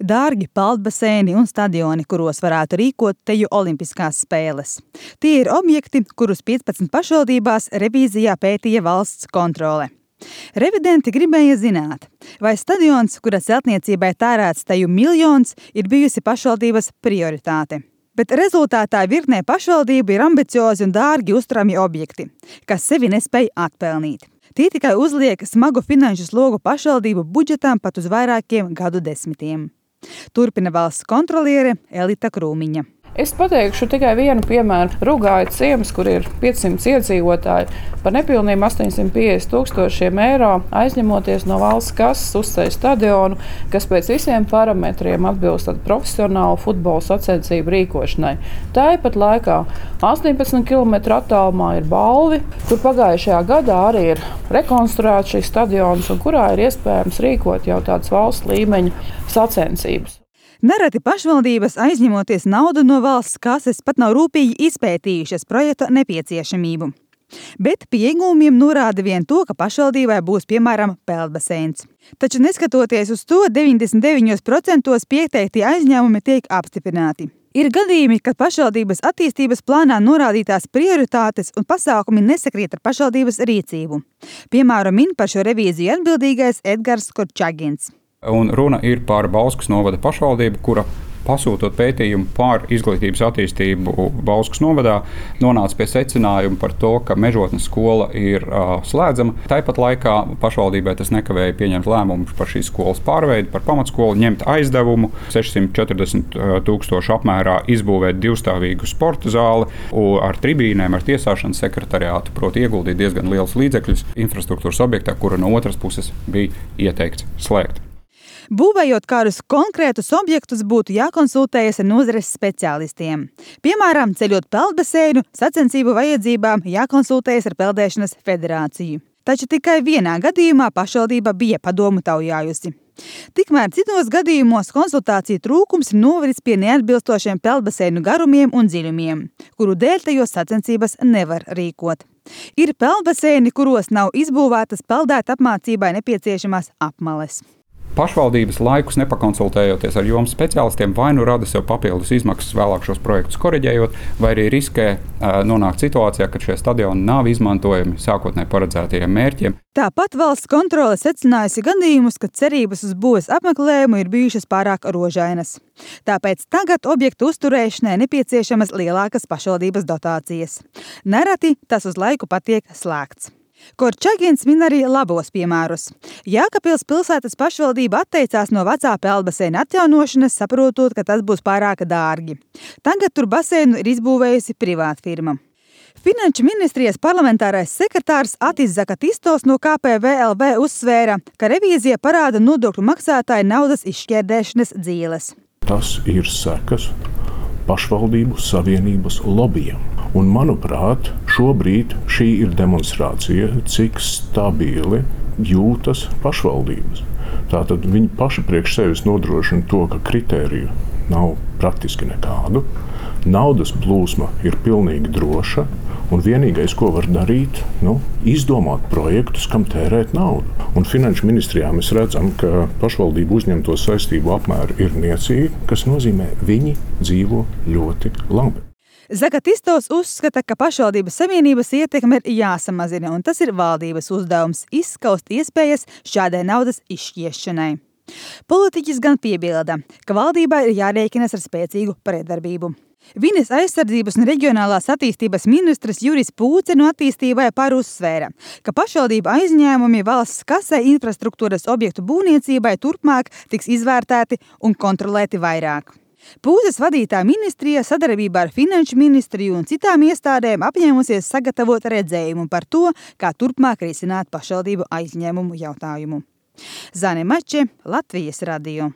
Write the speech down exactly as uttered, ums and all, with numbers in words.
dārgi peldbaseini un stadioni, kuros varētu rīkot teju olimpiskās spēles. Tie ir objekti, kurus piecpadsmit pašvaldībās revīzijā pētīja valsts kontrole. Revidenti gribēja zināt, vai stadions, kura celtniecībai tērēts teju miljons, ir bijusi pašvaldības prioritāte. Bet rezultātā virknē pašvaldību ir ambiciozi un dārgi uzturami objekti, kas sevi nespēj atpelnīt. Tie tikai uzliek smagu finanšu slogu pašvaldību budžetām pat uz vairākiem gadu desmitiem. Turpina valsts kontroliere Elita Krūmiņa. Es pateikšu tikai vienu piemēru. Rugāja ciems, kur ir piecsimt iedzīvotāji, par nepilniem astoņsimt piecdesmit tūkstošiem eiro aizņemoties no valsts kases uzceļ stadionu, kas pēc visiem parametriem atbilst profesionālu futbola sacensību rīkošanai. Tāpat laikā astoņpadsmit kilometru attālumā ir Balvi, kur pagājušajā gadā arī ir rekonstruēts šis stadions un kurā ir iespējams rīkot jau tādas valsts līmeņa sacensības. Nereti pašvaldības, aizņemoties naudu no valsts kases, pat nav rūpīgi izpētījušas projekta nepieciešamību. Bet pie iegūmiem norāda vien to, ka pašvaldībai būs, piemēram, peldbaseins. Taču neskatoties uz to, deviņdesmit deviņos procentos pieteiktie aizņēmumi tiek apstiprināti. Ir gadījumi, kad pašvaldības attīstības plānā norādītās prioritātes un pasākumi nesakrīt ar pašvaldības rīcību. Piemēram, min par šo revīziju atbildīgais Edgars Korčagins. Un runa ir par Bauskas novada pašvaldību, kura pasūtot pētījumu par izglītības attīstību Bauskas novadā, nonāca pie secinājuma par to, ka Mežotnes skola ir uh, slēdzama. Tāpat laikā pašvaldībai tas nekavēja pieņemt lēmumu par šīs skolas pārveidi, par pamatskolu, ņemt aizdevumu sešsimt četrdesmit tūkstošu apmērā, izbūvēt divstāvīgu sporta zāli ar tribīnēm, ar tiesāšanas sekretariātu, proti ieguldīt diezgan liels līdzekļus infrastruktūras objektā, kura no otras puses bija ieteikts slēgt. Būvējot kādus konkrētus objektus, būtu jākonsultējas ar nozares speciālistiem. Piemēram, ceļot peldbaseinu, sacensību vajadzībām jākonsultējas ar Peldēšanas federāciju. Taču tikai vienā gadījumā pašvaldība bija padomu taujājusi. Tikmēr citos gadījumos konsultāciju trūkums ir novedis pie neatbilstošiem peldbaseinu garumiem un dziļumiem, kuru dēļ tajos sacensības nevar rīkot. Ir peldbaseini, kuros nav izbūvētas peldēt apmācībai nepieciešamās apmales. Pašvaldības laikus nepakonsultējoties ar jomas speciālistiem, vai nu rada sev papildus izmaksas vēlāk šos projektus koriģējot, vai arī riskē uh, nonākt situācijā, ka šie stadioni nav izmantojami sākotnēji paredzētajiem mērķiem. Tāpat valsts kontrole secinājusi gadījumus, ka cerības uz būves apmeklējumu ir bijušas pārāk rožainas. Tāpēc tagad objektu uzturēšanai nepieciešamas lielākas pašvaldības dotācijas. Nereti tas uz laiku patiek slēgts. Korčagins min arī labos piemērus. Jēkabpils pilsētas pašvaldība atteicās no vecā peldbaseina atjaunošanas, saprotot, ka tas būs pārāk dārgi. Tagad tur baseinu ir izbūvējusi privātfirma. Finanšu ministrijas parlamentārais sekretārs Atis Zakatistos no K P V L V uzsvēra, ka revīzija parāda nodokļu maksātāju naudas izšķērdēšanas dzīles. Tas ir sekas pašvaldību savienības lobbyam. Un, manuprāt, šobrīd šī ir demonstrācija, cik stabili jūtas pašvaldības. Tātad viņi paši priekš sevis nodrošina to, ka kritēriju nav praktiski nekādu. Naudas plūsma ir pilnīgi droša, un vienīgais, ko var darīt, nu, izdomāt projektus, kam tērēt naudu. Un finanšu ministrijā mēs redzam, ka pašvaldību uzņemto saistību apmēri ir niecīgi, kas nozīmē, viņi dzīvo ļoti labi. Zakatistos uzskata, ka pašvaldības savienības ietekme ir jāsamazina, un tas ir valdības uzdevums izskaust iespējas šādai naudas izšķiešanai. Politiķis gan piebilda, ka valdībai ir jārēķinas ar spēcīgu pretdarbību. Vides aizsardzības un reģionālās attīstības ministrs Juris Pūce no attīstībai par uzsvēra, ka pašvaldība aizņēmumi valsts kasē infrastruktūras objektu būvniecībai turpmāk tiks izvērtēti un kontrolēti vairāk. Pūces vadītā ministrija sadarbībā ar Finanšu ministriju un citām iestādēm apņēmusies sagatavot redzējumu par to, kā turpmāk risināt pašvaldību aizņēmumu jautājumu. Zane Mače, Latvijas radio.